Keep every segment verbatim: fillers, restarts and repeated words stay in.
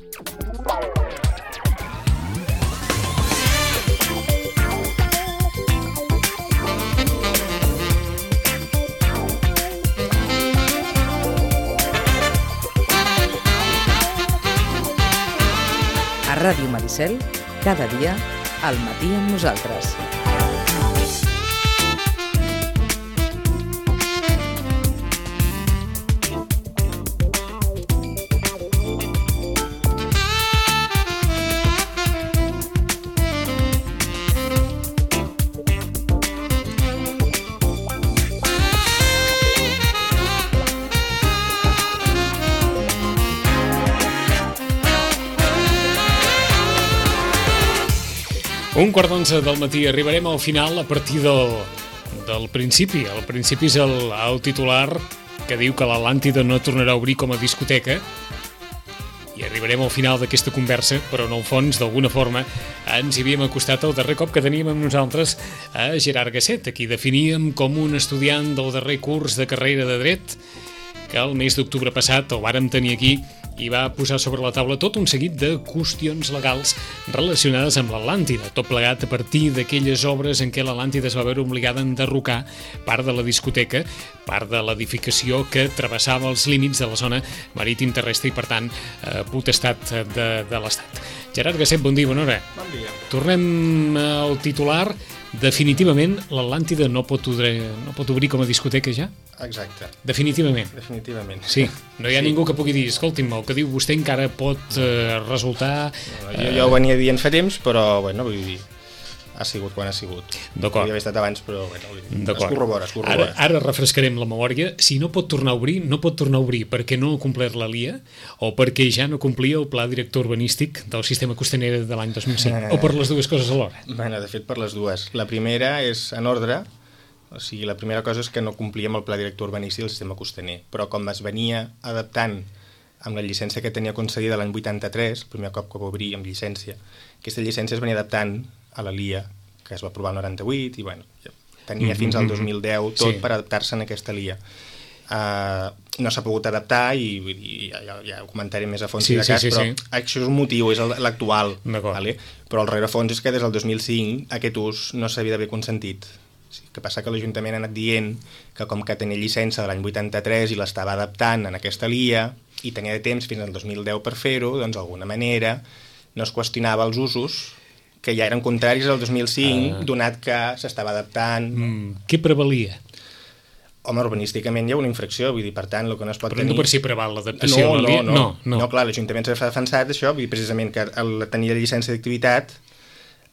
A Ràdio Maricel, cada dia, al matí amb nosaltres. Un quart d'onze del matí, arribarem al final a partir del, del principi. El principi és el, el titular que diu que l'Atlàntida no tornarà a obrir com a discoteca, i arribarem al final d'aquesta conversa, però en el fons, d'alguna forma, ens hi havíem acostat el darrer cop que teníem amb nosaltres a Gerard Gasset, a qui definíem com un estudiant del darrer curs de carrera de dret, que el mes d'octubre passat el vàrem tenir aquí i va posar sobre la taula tot un seguit de qüestions legals relacionades amb l'Atlàntida, tot plegat a partir d'aquelles obres en què l'Atlàntida es va veure obligada a enderrocar part de la discoteca, part de l'edificació que travessava els límits de la zona marítim terrestre i, per tant, eh, potestat de, de l'Estat. Gerard Gasset, bon dia, bona hora. Bon dia. Tornem al titular. Definitivament l'Atlàntida no pot obrir, no pot obrir com a discoteca ja? Exacte. Definitivament? Definitivament. Sí, no hi ha sí. ningú que pugui dir, escolti'm, el que diu vostè encara pot eh, resultar... No, jo, jo ho venia dient fa temps, però, bueno, vull dir, ha sigut quan ha sigut. D'acord. Podria haver estat abans, però, bueno, vull dir, es corrobora, es corrobora. Ara, ara refrescarem la memòria. Si no pot tornar a obrir, no pot tornar a obrir perquè no ha complert la L I A o perquè ja no complia el pla director urbanístic del sistema costaner de l'any dos mil cinc, eh... o per les dues coses alhora? Bueno, de fet, per les dues. La primera és en ordre, o sigui, la primera cosa és que no complíem el pla director urbanístic del sistema costaner, però com es venia adaptant amb la llicència que tenia concedida l'any vuitanta-tres, el primer cop que va obrir amb llicència, aquesta llicència es venia adaptant a la L I A, que es va aprovar el noranta-vuit, i bueno, tenia mm-hmm. fins al dos mil deu tot sí. per adaptar-se en aquesta L I A. Uh, no s'ha pogut adaptar i, i ja, ja ho comentaré més a fons sí, si de cas, sí, sí, però sí. això és un motiu, és l'actual, vale? Però el rerefons és que des del dos mil cinc aquest ús no s'havia d'haver consentit. Sí, que passa que l'Ajuntament ha anat dient que com que tenia llicència de l'any vuitanta-tres i l'estava adaptant en aquesta L I A i tenia de temps fins al dos mil deu per fer-ho, doncs d'alguna manera no es qüestionava els usos que ja eren contraris al dos mil cinc, ah. donat que s'estava adaptant. Mm, què prevalia? Home, urbanísticament hi ha una infracció, vull dir, per tant, el que no es pot Però tenir... no per si preval l'adaptació no, a la L I A? No, no, no, no. no clar, l'Ajuntament s'ha defensat això, vull dir, precisament que el tenir la llicència d'activitat,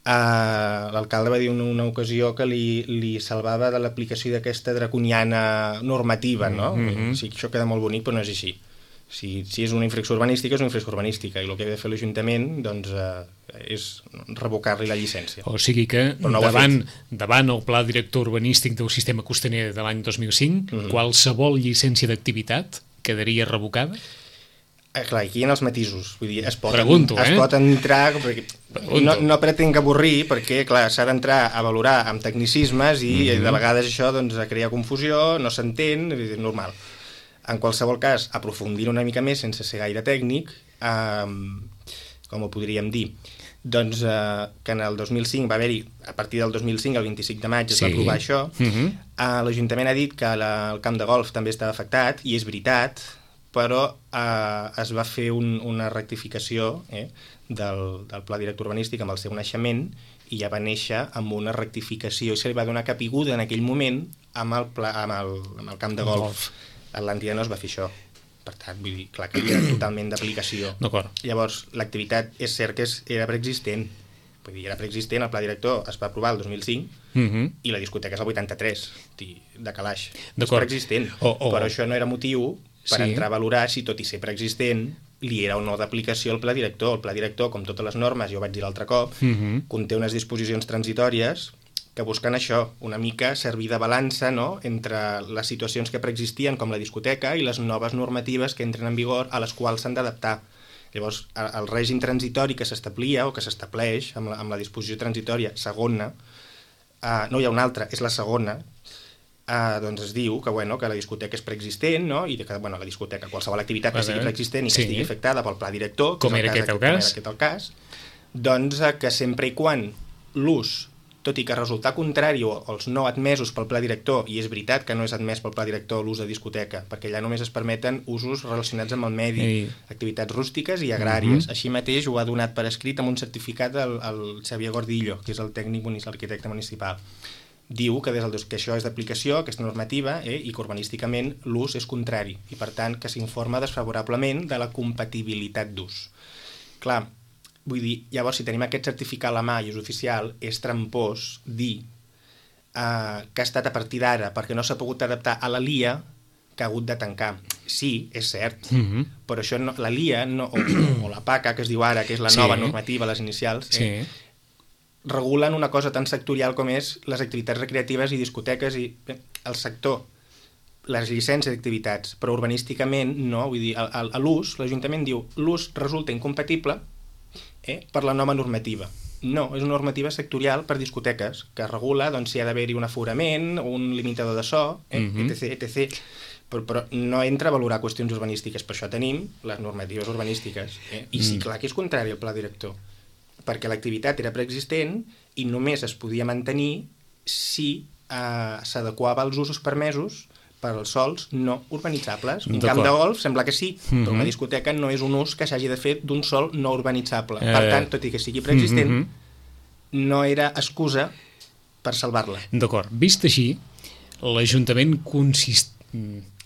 eh, l'alcalde va dir en una, una ocasió que li, li salvava de l'aplicació d'aquesta draconiana normativa, no? Mm-hmm. Sí, això queda molt bonic, però no és així. Si, si és una infracció urbanística, és una infracció urbanística, i el que ha de fer l'Ajuntament doncs, eh, és revocar-li la llicència. O sigui que no davant, davant el pla director urbanístic del sistema costaner de l'any dos mil cinc, mm-hmm. qualsevol llicència d'activitat quedaria revocada? Eh, clar, aquí hi ha els matisos. Vull dir, es pot, Pregunto, es eh? pot entrar... Perquè no, no pretenc avorrir, perquè clar, s'ha d'entrar a valorar amb tecnicismes i mm-hmm. de vegades això doncs, crea confusió, no s'entén, és normal. En qualsevol cas, aprofundir una mica més sense ser gaire tècnic, eh, com ho podríem dir, doncs eh, que en el dos mil cinc va haver-hi, a partir del dos mil cinc, el vint-i-cinc de maig, es sí. va aprovar això, uh-huh. eh, l'Ajuntament ha dit que la, el camp de golf també estava afectat, i és veritat, però eh, es va fer un, una rectificació eh, del, del pla director urbanístic amb el seu naixement, i ja va néixer amb una rectificació, i se li va donar capiguda en aquell moment amb el, pla, amb el, amb el camp de golf. golf. L'Atlàntida no es va fer això. Per tant, vull dir, clar que era totalment d'aplicació. Llavors, l'activitat és cert que és, era preexistent. Vull dir, era preexistent, el pla director es va aprovar el dos mil cinc uh-huh. i la discoteca és el vuitanta-tres, de calaix. És preexistent. Oh, oh. Però això no era motiu per sí. entrar a valorar si, tot i ser preexistent, li era o no d'aplicació al pla director. El pla director, com totes les normes, jo ho vaig dir l'altre cop, uh-huh. conté unes disposicions transitòries que busquen això, una mica servir de balança, no?, entre les situacions que preexistien, com la discoteca, i les noves normatives que entren en vigor a les quals s'han d'adaptar. Llavors, el règim transitori que s'establia o que s'estableix amb la, amb la disposició transitòria segona, eh, no hi ha una altra, és la segona, Uh, doncs es diu que, bueno, que la discoteca és preexistent, no? I que bueno, la discoteca, qualsevol activitat que sigui preexistent i que sí. estigui afectada pel pla director, com era aquest el cas, com era aquest el cas, doncs uh, que sempre i quan l'ús, tot i que resultar contrari o els no admesos pel pla director, i és veritat que no és admès pel pla director l'ús de discoteca, perquè allà només es permeten usos relacionats amb el medi, Ei. activitats rústiques i agràries. Uh-huh. Així mateix ho ha donat per escrit amb un certificat el, el Xavier Gordillo, que és el tècnic municipal, l'arquitecte municipal. Diu que, des del, que això és d'aplicació, aquesta normativa, eh, i que urbanísticament l'ús és contrari, i per tant que s'informa desfavorablement de la compatibilitat d'ús. Clar, vull dir, llavors si tenim aquest certificat a la mà i és oficial, és trampós dir eh, que ha estat a partir d'ara perquè no s'ha pogut adaptar a la L I A que ha hagut de tancar. Sí, és cert, mm-hmm. però això no, la L I A no, o, o la PACA, que es diu ara, que és la sí. nova normativa, les inicials, eh, sí. regulen una cosa tan sectorial com és les activitats recreatives i discoteques i bé, el sector, les llicències d'activitats, però urbanísticament no, vull dir, a, a l'ús, l'Ajuntament diu l'ús resulta incompatible eh, per la nova normativa. No, és una normativa sectorial per discoteques, que regula doncs, si ha d'haver-hi un aforament, un limitador de so, eh, mm-hmm. etc, etcètera. Però, però no entra a valorar qüestions urbanístiques, per això tenim les normatives urbanístiques. Eh? I sí, clar que és contrari al pla director, perquè l'activitat era preexistent i només es podia mantenir si eh, s'adequava als usos permesos per als sols no urbanitzables. Un camp de golf sembla que sí, mm-hmm. però una discoteca no és un ús que s'hagi de fer d'un sol no urbanitzable. Eh... Per tant, tot i que sigui preexistent, mm-hmm. no era excusa per salvar-la. D'acord. Vist així, l'Ajuntament consist...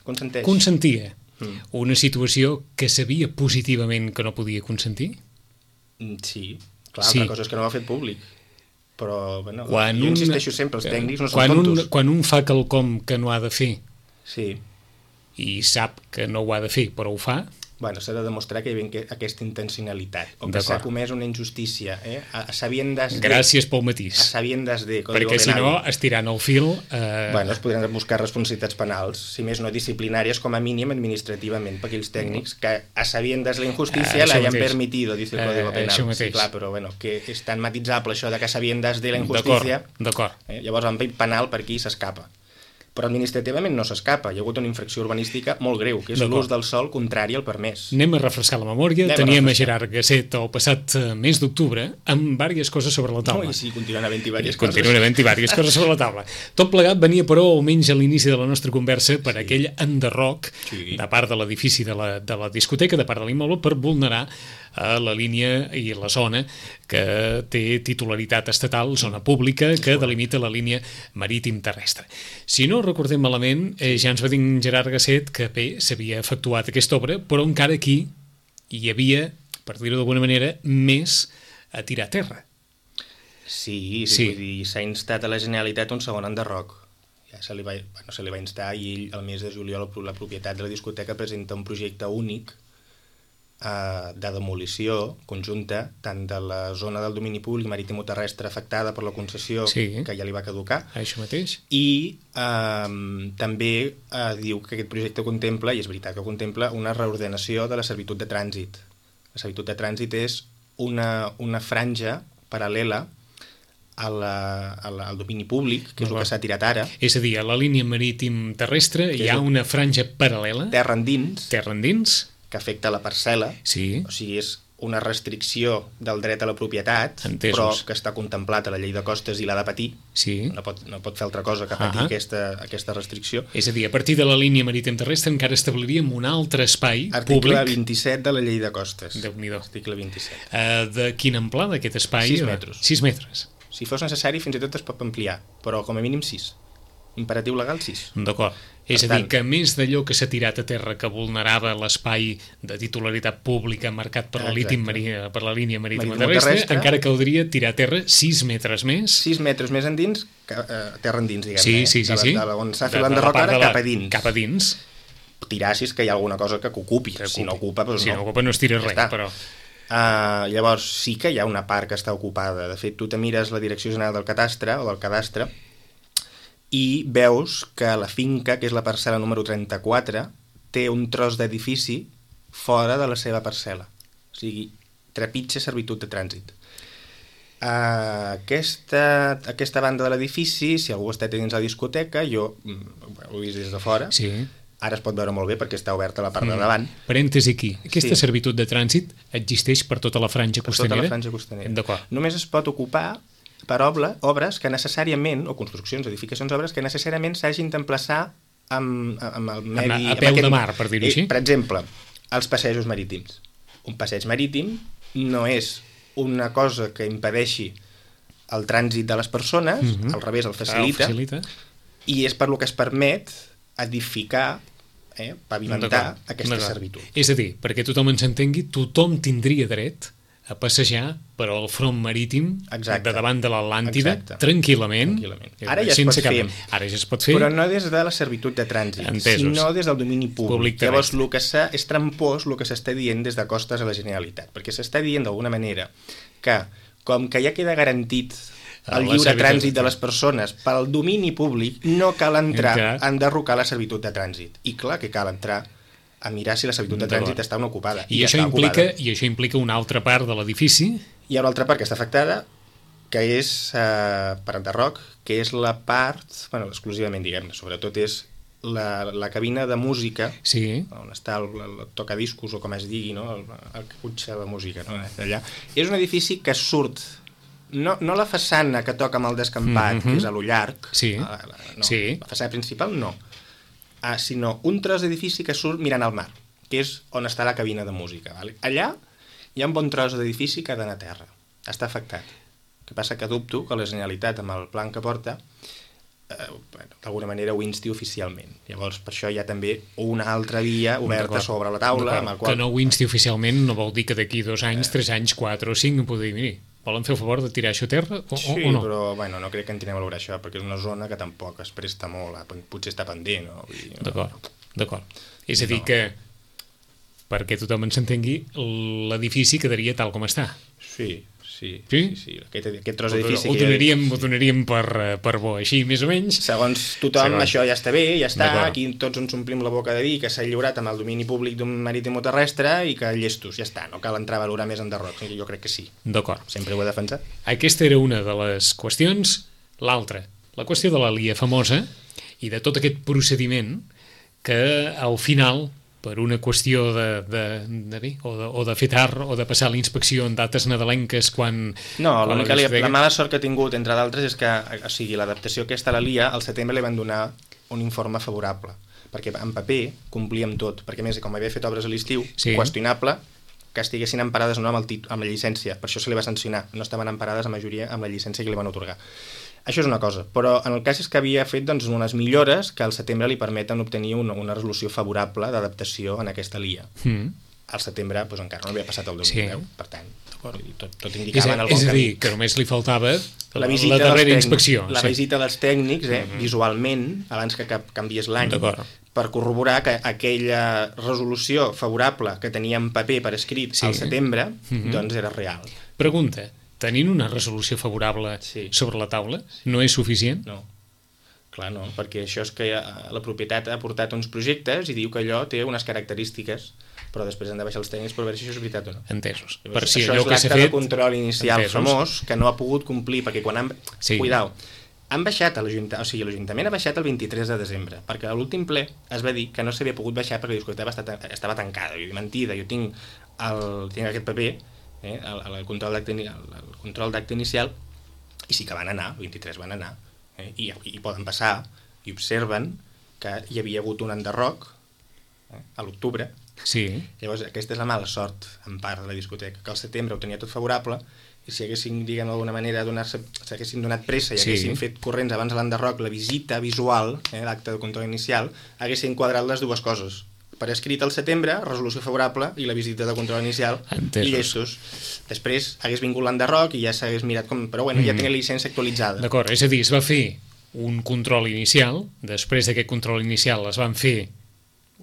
Consenteix. consentia mm. una situació que sabia positivament que no podia consentir? Sí. Clar, sí. Una cosa és que no ho ha fet públic, però bueno, quan jo un, insisteixo sempre, els tècnics no són quan tontos. Un, quan un fa quelcom que no ha de fer sí. i sap que no ho ha de fer, però ho fa... Bueno, s'ha de demostrar que hi ha aquesta intencionalitat, o que s'ha comès una injustícia, eh? a, a sabiendas de... Gràcies pel matís. A sabiendas de... Perquè si no, estirant el fil... Eh... Bueno, es podran buscar responsabilitats penals, si més no disciplinàries, com a mínim administrativament, per aquells tècnics que a sabiendas la injustícia eh, la hayan permitido, dice el Código Penal. Eh, sí, clar, però bueno, que és tan matitzable això de que a sabiendas de la injustícia... D'acord, d'acord. Eh? Llavors, en penal per aquí s'escapa. Però administrativament no s'escapa. Hi ha hagut una infracció urbanística molt greu, que és l'ús del sòl contrari al permès. Anem a refrescar la memòria. Anem Teníem a, a Gerard Gasset el passat mes d'octubre amb diverses coses sobre la taula. No, i sí, continuen havent-hi diverses coses. Continuen havent-hi diverses coses sobre la taula. Tot plegat venia, però, almenys a l'inici de la nostra conversa, per sí. aquell enderroc sí. de part de l'edifici de la, de la discoteca, de part de l'immoble, per vulnerar a la línia i la zona que té titularitat estatal, zona pública, que delimita la línia marítim terrestre. Si no recordem malament, eh, ja ens va dir Gerard Gasset que bé, s'havia efectuat aquesta obra, però encara aquí hi havia, per dir-ho d'alguna manera, més a tirar a terra. Sí, sí, sí. Vull dir, s'ha instat a la Generalitat un segon enderroc. Ja se li va, bueno, se li va instar i ell, el mes de juliol, la propietat de la discoteca presenta un projecte únic de demolició conjunta tant de la zona del domini públic marítim o terrestre afectada per la concessió sí. que ja li va caducar. Això mateix. I eh, també eh, diu que aquest projecte contempla, i és veritat que contempla, una reordenació de la servitud de trànsit. La servitud de trànsit és una, una franja paral·lela a la, a la, al domini públic, que és el que s'ha tirat ara. És a dir, a la línia marítim terrestre hi ha una franja paral·lela. Terra endins. Terra endins. Que afecta la parcel·la, sí. o sigui, és una restricció del dret a la propietat, Entesos. Però que està contemplat a la llei de costes i l'ha de patir, sí. no, pot, no pot fer altra cosa que patir uh-huh. aquesta, aquesta restricció. És a dir, a partir de la línia marítim terrestre encara establiríem un altre espai Article públic. Article vint-i-set de la llei de costes. Déu-n'hi-do. Article vint-i-set. Uh, de quina amplada aquest espai? sis metres. sis metres. Si fos necessari, fins i tot es pot ampliar, però com a mínim sis. Imperatiu legal sis. D'acord. És a dir, que a més d'allò que s'ha tirat a terra que vulnerava l'espai de titularitat pública marcat per la, marí- per la línia marítima terrestre, terrestre, encara caldria tirar a terra sis metres més. sis metres més endins, que, eh, terra endins, diguem-ne. Sí, sí, sí. De, sí. de, de on s'ha fet l'enderroc ara, cap a dins. Cap a dins. Tirar si és que hi ha alguna cosa que ocupi. Que si no ocupa, doncs si no. no ocupa no es tira ja res, està. Però... Uh, llavors, sí que hi ha una part que està ocupada. De fet, tu te mires la Direcció General del Cadastre, o del Cadastre, i veus que la finca, que és la parcel·la número trenta-quatre, té un tros d'edifici fora de la seva parcel·la. O sigui, trepitja servitud de trànsit. Uh, aquesta, aquesta banda de l'edifici, si algú està dins la discoteca, jo ho he vist des de fora, sí. Ara es pot veure molt bé perquè està oberta la part mm. de davant. Parèntesi aquí, aquesta sí. servitud de trànsit existeix per tota la franja per costanera? Per tota la franja costanera. D'acord. Només es pot ocupar per obra, obres que necessàriament, o construccions, edificacions, obres que necessàriament s'hagin d'emplaçar amb, amb el medi... A, a peu aquest, de mar, per dir-ho així? Per exemple, els passejos marítims. Un passeig marítim no és una cosa que impedeixi el trànsit de les persones, mm-hmm. al revés, el facilita, el facilita, i és per lo que es permet edificar, eh, pavimentar aquesta servitud. És a dir, perquè tothom ens entengui, tothom tindria dret a passejar per al front marítim Exacte. De davant de l'Atlàntida tranquil·lament. tranquil·lament. Ara ja es pot cap... fer, Ara ja es pot fer, però no des de la servitud de trànsit, Entesos. Sinó des del domini públic. públic Llavors, el que és trampós el que s'està dient des de costes a la Generalitat, perquè s'està dient d'alguna manera que, com que ja queda garantit el lliure trànsit de les persones pel domini públic, no cal entrar a enderrocar la servitud de trànsit. I clar que cal entrar a mirar si la servitud de trànsit està una ocupada. I, I, això implica, I això implica una altra part de l'edifici? Hi ha una altra part que està afectada, que és eh, per enderroc, que és la part, bueno, exclusivament, diguem-ne, sobretot és la, la cabina de música, sí. on està el, el tocadiscos, o com es digui, no? el, el que cotxa la música, no? Allà. És un edifici que surt, no, no la façana que toca amb el descampat, mm-hmm. que és a lo llarg, sí. la, la, no, sí. la façana principal no, ah, sinó un tros d'edifici que surt mirant al mar, que és on està la cabina de música. Vale? Allà hi ha un bon tros d'edifici que ha d'anar a terra, està afectat. El que passa que dubto que la Generalitat, amb el plan que porta, eh, bueno, d'alguna manera ho insti oficialment. Llavors, per això hi ha també una altra via oberta sobre la taula. Amb el qual... Que no ho insti oficialment no vol dir que d'aquí dos anys, tres anys, quatre o cinc, em podria dir, miri, volen fer el favor de tirar això a terra o, sí, o no? Però bueno, no crec que en tinguem a valorar això, perquè és una zona que tampoc es presta molt, potser està pendent. No? no? D'acord, d'acord. És a dir no. que, perquè tothom ens entengui, l'edifici quedaria tal com està. Sí, sí, sí, sí, sí. Aquest, aquest tros d'edifici... Ho donaríem, ho donaríem per, per bo, així, més o menys. Segons tothom, Segons. Això ja està bé, ja està, aquí tots ens omplim la boca de dir que s'ha lliurat amb el domini públic d'un marítim o terrestre i que llestos, ja està, no cal entrar a valorar més enderroc, jo crec que sí. D'acord. Sempre ho he defensat. Aquesta era una de les qüestions. L'altra, la qüestió de la L I A famosa i de tot aquest procediment que al final... per una qüestió de, de, de bé, o, de, o de fer tard, o de passar la inspecció en dates nadalenques quan... No, l'única la, la mala sort que ha tingut, entre d'altres, és que, o sigui, l'adaptació aquesta a la L I A, al setembre li van donar un informe favorable, perquè en paper complíem tot, perquè a més, com havia fet obres a l'estiu, sí. qüestionable que estiguessin emparades o no amb, el tit amb la llicència, per això se li va sancionar, no estaven emparades a majoria amb la llicència que li van atorgar. Això és una cosa, però en el cas és que havia fet doncs, unes millores que al setembre li permeten obtenir una, una resolució favorable d'adaptació en aquesta L I A. Mm. Al setembre doncs, encara no havia passat el dos mil deu, sí. Per tant, tot, tot indicava en el bon camí. És a dir, que només li faltava la, la darrera inspecció. La sí. visita dels tècnics, eh, mm-hmm. visualment, abans que canviés l'any, per corroborar que aquella resolució favorable que tenia en paper per escrit sí. al setembre, mm-hmm. doncs era real. Pregunta. Tenint una resolució favorable sí. sobre la taula, no és suficient? No, clar no, perquè això és que la propietat ha portat uns projectes i diu que allò té unes característiques, però després han de baixar els tècnics per veure si això és veritat o no. Entesos. Llavors, per si això allò és que s'ha l'acte fet... de control inicial Entesos. famós que no ha pogut complir, perquè quan han... Sí. Cuidao, han baixat a l'Ajuntament, o sigui, l'Ajuntament ha baixat el vint-i-tres de desembre, perquè a l'últim ple es va dir que no s'havia pogut baixar perquè la discoteca estava, estava tancada. Jo dic, mentida, jo tinc, el, tinc aquest paper, eh, el, el control d'acte el, el control d'acte inicial, i sí que van anar, el vint-i-tres van anar, eh, i, i poden passar, i observen que hi havia hagut un enderroc eh, a l'octubre. Sí. Llavors, aquesta és la mala sort, en part, de la discoteca, que al setembre ho tenia tot favorable, i si haguessin, diguem, d'alguna manera, s'haguessin donat pressa i haguessin sí. fet corrents abans de l'enderroc la visita visual, eh, l'acte de control inicial, haguessin quadrat les dues coses. Per escrit al setembre, resolució favorable, i la visita de control inicial, Entesos. I llestos. Després hagués vingut l'enderroc i ja s'hagués mirat com... Però bueno, mm. ja tenia la llicència actualitzada. D'acord, és a dir, es va fer un control inicial, després d'aquest control inicial es van fer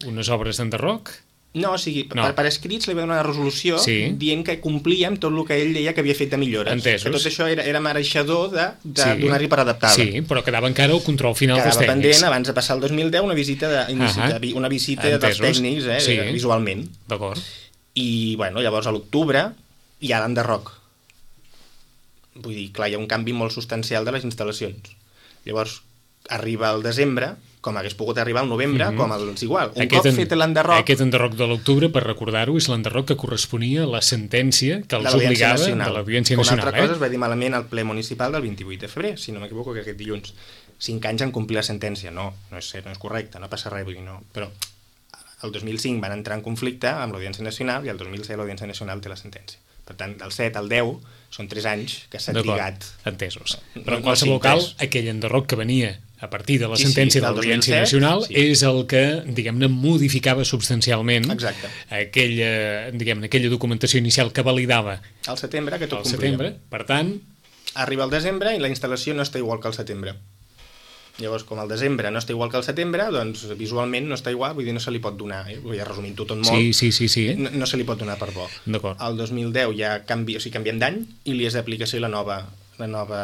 unes obres d'enderroc... No, o sigui, no. Per, per escrits li va donar una resolució sí. dient que complíem tot el que ell deia que havia fet de millores. Entesos. Que tot això era, era mereixedor de, de sí. donar-hi per adaptar-la. Sí, però quedava encara el control final quedava dels tècnics. Quedava pendent, abans de passar el dos mil deu, una visita, de, uh-huh. una visita dels tècnics, eh, sí. visualment. D'acord. I, bueno, llavors a l'octubre hi ha l'enderroc. vull dir, clar, hi ha un canvi molt substancial de les instal·lacions. Llavors, arriba al desembre, com hagués pogut arribar al novembre, mm-hmm. com els igual. Un aquest cop fet l'enderroc... Aquest enderroc de l'octubre, per recordar-ho, és l'enderroc que corresponia a la sentència que els obligava Nacional. de l'Audiència Una Nacional. altra cosa eh? es va dir malament al ple municipal del vint-i-vuit de febrer, si no m'equivoco, que aquest dilluns. Cinc anys en complir la sentència. No, no és, no és correcte, no passa res, vull dir, no. Però el dos mil cinc van entrar en conflicte amb l'Audiència Nacional i el dos mil set l'Audiència Nacional té la sentència. Per tant, del set al deu són tres anys que s'ha trigat. Entesos. Però en qualsevol cas, aquell enderroc que venia a partir de la sí, sentència sí, de l'Audiència Nacional sí. és el que, diguem-ne, modificava substancialment aquella, diguem-ne, aquella documentació inicial que validava al setembre, que tot al setembre. Per tant... Arriba el desembre i la instal·lació no està igual que al setembre. Llavors, com el desembre no està igual que el setembre, doncs visualment no està igual, vull dir, no se li pot donar, eh? Vull dir, resumint-ho tot molt, sí, sí, sí, sí. No, no se li pot donar per bo. El dos mil deu ja canvi, o sigui, canviem d'any i li és d'aplicació la nova la nova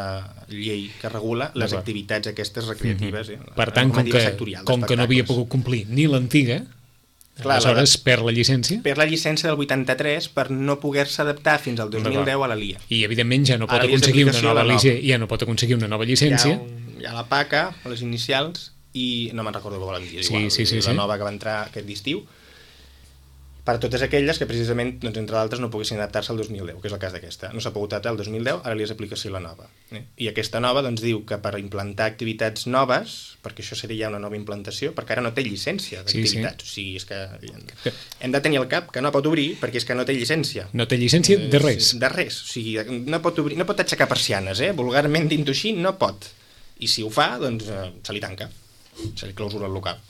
llei que regula les activitats aquestes recreatives. Mm-hmm. Eh? Per tant, com, que, com que no havia pogut complir ni l'antiga, clar, aleshores la, perd la llicència? Perd la llicència del vuitanta-tres per no poder-se adaptar fins al dos mil deu a la L I A. I, evidentment, ja no pot aconseguir una nova llicència. Ja no pot aconseguir una nova llicència. Hi ha, un, hi ha la P A C A, les inicials, i no me'n recordo què volen dir, sí, igual, sí, sí, la sí. nova que va entrar aquest estiu, per totes aquelles que precisament, doncs, entre d'altres, no poguessin adaptar-se al dos mil deu, que és el cas d'aquesta. No s'ha pogut adaptar al dos mil deu, ara li és aplicació la nova. Eh? I aquesta nova doncs, diu que per implantar activitats noves, perquè això seria ja una nova implantació, perquè ara no té llicència d'activitats. Sí, sí. O sigui, és que hem de tenir al cap que no pot obrir perquè és que no té llicència. No té llicència de res. De res. O sigui, no pot, obrir, no pot aixecar persianes, eh? Vulgarment dit-ho així, no pot. I si ho fa, doncs eh, se li tanca. Se li clausura el local.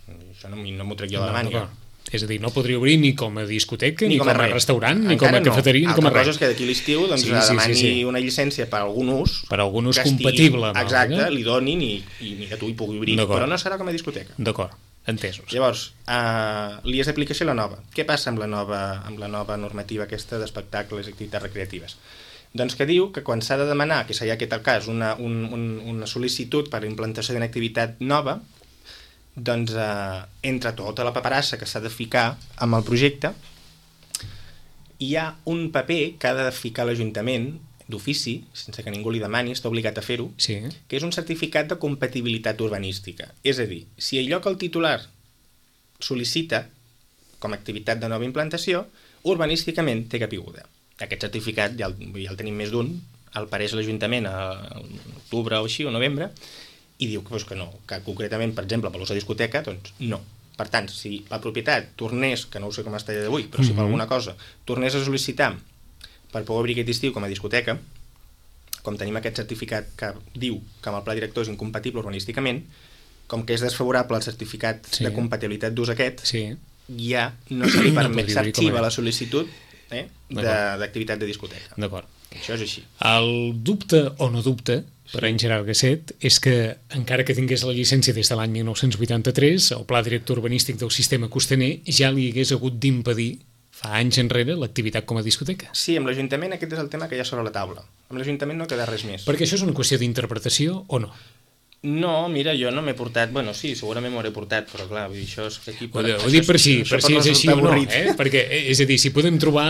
Això no, no m'ho trec jo de la màniga. No, és a dir, no podria obrir ni com a discoteca, ni, ni com, com a restaurant, ni com a cafeteria, no. ni com a res. Altra cosa és que d'aquí l'estiu doncs, sí, sí, demani sí, sí. una llicència per algun ús... Per algun ús compatible. Estigui, exacte, no? Li donin i, i ni que tu hi pugui obrir, però no serà com a discoteca. D'acord, entesos. Llavors, uh, li és d'aplicació la nova. Què passa amb la nova, amb la nova normativa aquesta d'espectacles i activitats recreatives? Doncs que diu que quan s'ha de demanar, que seria aquest el cas, una, un, un, una sol·licitud per implantació d'una activitat nova, doncs eh, entre tota la paperassa que s'ha de ficar amb el projecte hi ha un paper que ha de ficar l'Ajuntament d'ofici, sense que ningú li demani, està obligat a fer-ho, sí. que és un certificat de compatibilitat urbanística. És a dir, si allò que el titular sol·licita com a activitat de nova implantació, urbanísticament té caiguda. Aquest certificat ja el, ja el tenim més d'un, el pareix l'Ajuntament a l'octubre o així, o novembre, i diu que, doncs, que no, que concretament, per exemple, per l'ús de discoteca, doncs no. Per tant, si la propietat tornés, que no ho sé com està d'avui, però si per alguna cosa tornés a sol·licitar per poder obrir aquest estiu com a discoteca, com tenim aquest certificat que diu que amb el pla director és incompatible urbanísticament, com que és desfavorable el certificat sí. de compatibilitat d'ús aquest, sí. ja no se li permet, s'arxiva la sol·licitud eh, d'activitat de, de discoteca. D'acord. Això és així. El dubte o no dubte per sí. en Gerard Gasset és que, encara que tingués la llicència des de l'any mil nou-cents vuitanta-tres, el pla director urbanístic del sistema costaner ja li hagués hagut d'impedir fa anys enrere l'activitat com a discoteca. Sí, amb l'Ajuntament aquest és el tema que hi ha sobre la taula. Amb l'Ajuntament no queda res més. Perquè això és una qüestió d'interpretació o no? No, mira, jo no m'he portat... Bueno, sí, segurament m'ho hauré portat, però clar, vull dir, això és aquí... Ho, ho dic per si, per si és així o no, eh? Perquè, és a dir, si podem trobar,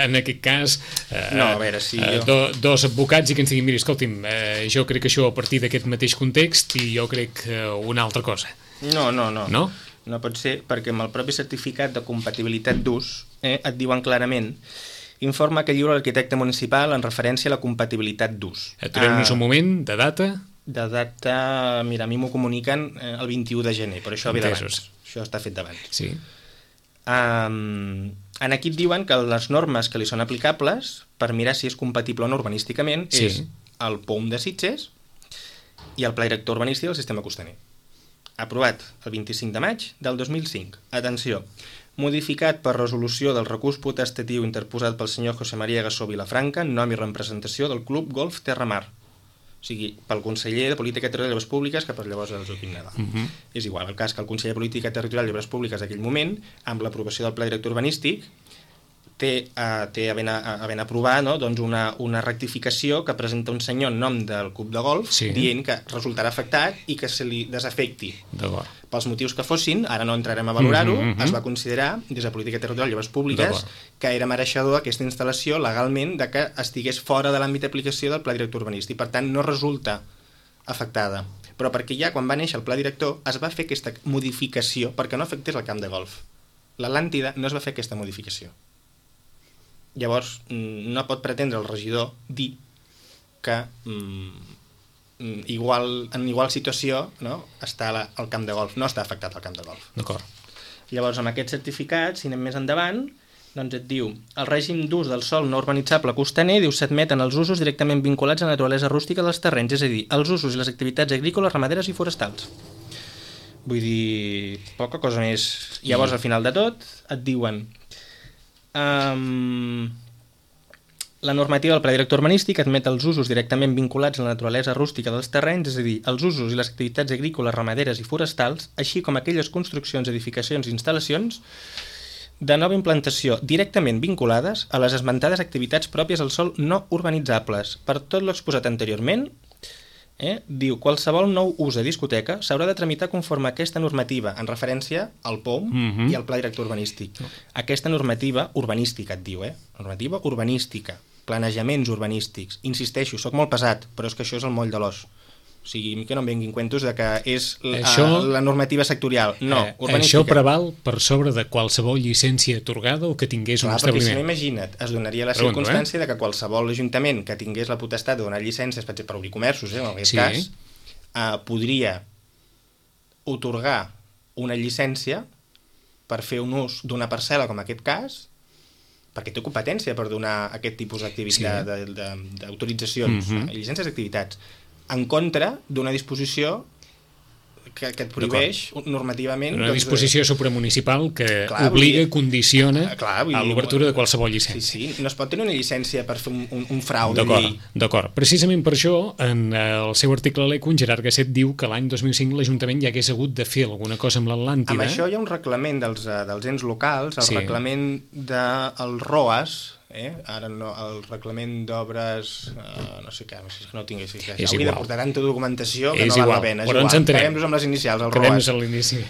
en aquest cas, eh, no, a veure, si eh, jo... do, dos advocats i que ens diguin, mira, escolti'm, eh, jo crec que això a partir d'aquest mateix context i jo crec eh, una altra cosa. No, no, no. No? No pot ser, perquè amb el propi certificat de compatibilitat d'ús eh, et diuen clarament informa que lliura l'arquitecte municipal en referència a la compatibilitat d'ús. Aturem-nos ah. un moment, de data... De data, mira, a mi m'ho comuniquen eh, el vint-i-u de gener, però això ve d'abans. Això està fet d'abans. Sí. Um, en aquí et diuen que les normes que li són aplicables per mirar si és compatible o no urbanísticament sí. és el P O U M de Sitges i el Pla Director Urbanístic del Sistema Costaner. Aprovat el vint-i-cinc de maig del dos mil cinc. Atenció, modificat per resolució del recurs potestatiu interposat pel senyor José María Gassó Vilafranca en nom i representació del Club Golf Terramar. O sigui, pel conseller de Política Territorial i Obres Públiques, que per llavors era el Joaquim Nadal. Uh-huh. És igual, el cas que el conseller de Política Territorial i Obres Públiques d'aquell moment, amb l'aprovació del Pla Director Urbanístic, té, uh, té havent, havent aprovat, no? doncs una, una rectificació que presenta un senyor en nom del club de golf, sí. dient que resultarà afectat i que se li desafecti. Pels motius que fossin, ara no entrarem a valorar-ho, mm -hmm. es va considerar, des de Política Territorial i Obres Públiques, que era mereixedor aquesta instal·lació legalment de que estigués fora de l'àmbit d'aplicació del pla director urbanístic. Per tant, no resulta afectada. Però perquè ja quan va néixer el pla director es va fer aquesta modificació perquè no afectés el camp de golf. L'Atlàntida no es va fer aquesta modificació. Llavors, no pot pretendre el regidor dir que mm, igual, en igual situació, no, està la, el camp de golf. No està afectat el camp de golf. D'acord. Llavors, amb aquest certificat, si anem més endavant, doncs et diu, el règim d'ús del sòl no urbanitzable costaner, diu, s'admeten els usos directament vinculats a la naturalesa rústica dels terrenys, és a dir, els usos i les activitats agrícoles, ramaderes i forestals. Vull dir, poca cosa més. Llavors, al final de tot, et diuen um, la normativa del pla director urbanístic admet els usos directament vinculats a la naturalesa rústica dels terrenys, és a dir, els usos i les activitats agrícoles, ramaderes i forestals, així com aquelles construccions, edificacions i instal·lacions de nova implantació directament vinculades a les esmentades activitats pròpies al sòl no urbanitzables. Per tot l'exposat anteriorment, Eh? diu, qualsevol nou ús de discoteca s'haurà de tramitar conforme a aquesta normativa en referència al P O M mm -hmm. i al Pla Director Urbanístic. No. Aquesta normativa urbanística, et diu, eh? Normativa urbanística, planejaments urbanístics. Insisteixo, sóc molt pesat, però és que això és el moll de l'os. O sigui, que no em vinguin cuentos de que és això, la normativa sectorial. No, eh, urbanística. Això preval per sobre de qualsevol llicència atorgada o que tingués Clar, un establiment. Perquè si no, imagina't, es donaria la Pregunto, circumstància eh? de que qualsevol ajuntament que tingués la potestat de donar llicències, per exemple, per obrir comerços, eh, en aquest sí. cas, eh, podria otorgar una llicència per fer un ús d'una parcel·la, com aquest cas, perquè té competència per donar aquest tipus d'activitat, sí. d'autoritzacions, mm -hmm. eh, llicències d'activitats, en contra d'una disposició que, que et prohibeix normativament... Una doncs, disposició supramunicipal que clar, obliga, dir, condiciona clar, dir, a l'obertura de qualsevol llicència. Sí, sí, no es pot tenir una llicència per fer un, un, un frau de llei. D'acord, precisament per això, en el seu article a l'E C U, en Gerard Gasset diu que l'any dos mil cinc l'Ajuntament ja hagués hagut de fer alguna cosa amb l'Atlàntida. Amb això hi ha un reglament dels, dels ens locals, el sí. reglament del R O A S, Eh? ara no, el reglament d'obres uh, no sé què, no sé que no tingués sí, que hauria de portar tanta documentació que és no val igual. la pena, és però igual, quedem-nos amb les inicials, el quedem-nos a l'inici.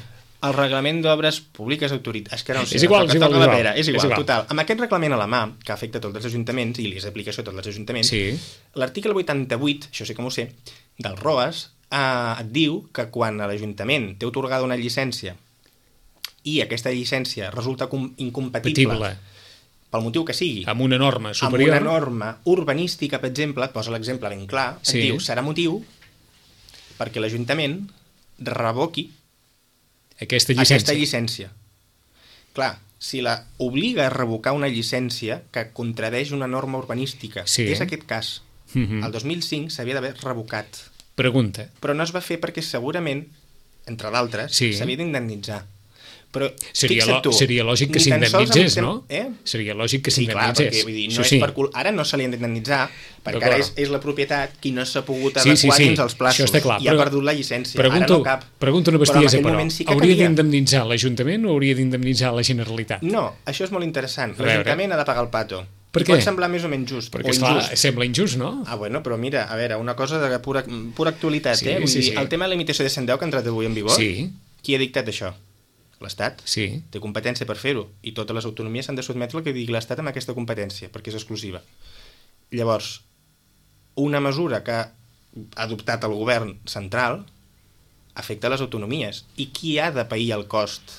El reglament d'obres públiques autoritat, és que no sé, és igual, és igual, igual, igual. és igual, total, amb aquest reglament a la mà que afecta tots els ajuntaments i li és d'aplicació a tots els ajuntaments, sí. l'article vuitanta-vuit, això sí que m'ho sé, del R O A S eh, et diu que quan l'Ajuntament té atorgada una llicència i aquesta llicència resulta incompatible Petible. pel motiu que sigui, amb una norma superior, amb una norma urbanística, per exemple, et posa l'exemple ben clar, sí. et diu, serà motiu perquè l'Ajuntament revoqui aquesta llicència. aquesta llicència. Clar, si la obliga a revocar una llicència que contradeix una norma urbanística, sí. que és aquest cas, mm-hmm. el dos mil cinc s'havia d'haver revocat. Pregunta. Però no es va fer perquè segurament, entre d'altres, sí. s'havia d'indemnitzar. Però seria, lo, tu, seria lògic que s'indemnitzés, tem... no? Eh? Seria lògic que sí, s'indemnitzés. Clar, perquè, vull dir, no sí, és sí. per cul... Ara no se li ha d'indemnitzar, perquè ara és, és la propietat qui no s'ha pogut sí, adequar sí, sí. dins els plaços Això està clar, i però... ha perdut la llicència. Pregunto, ara no cap. Pregunto una bestiesa, però, però sí hauria d'indemnitzar l'Ajuntament o hauria d'indemnitzar la Generalitat? No, això és molt interessant. L'Ajuntament ha de pagar el pato. Per què? Pot semblar més o menys just. Perquè, o esclar, injust. sembla injust, no? Ah, bueno, però mira, a veure, una cosa de pura, pura actualitat, sí, eh? Vull sí, dir, sí. el tema de la limitació de cent deu que ha entrat avui en vigor, sí. qui ha dictat això? L'Estat. Sí. Té competència per fer-ho, i totes les autonomies s'han de sotmetre al que digui l'Estat amb aquesta competència, perquè és exclusiva. Llavors, una mesura que ha adoptat el govern central afecta les autonomies. I qui ha de pair el cost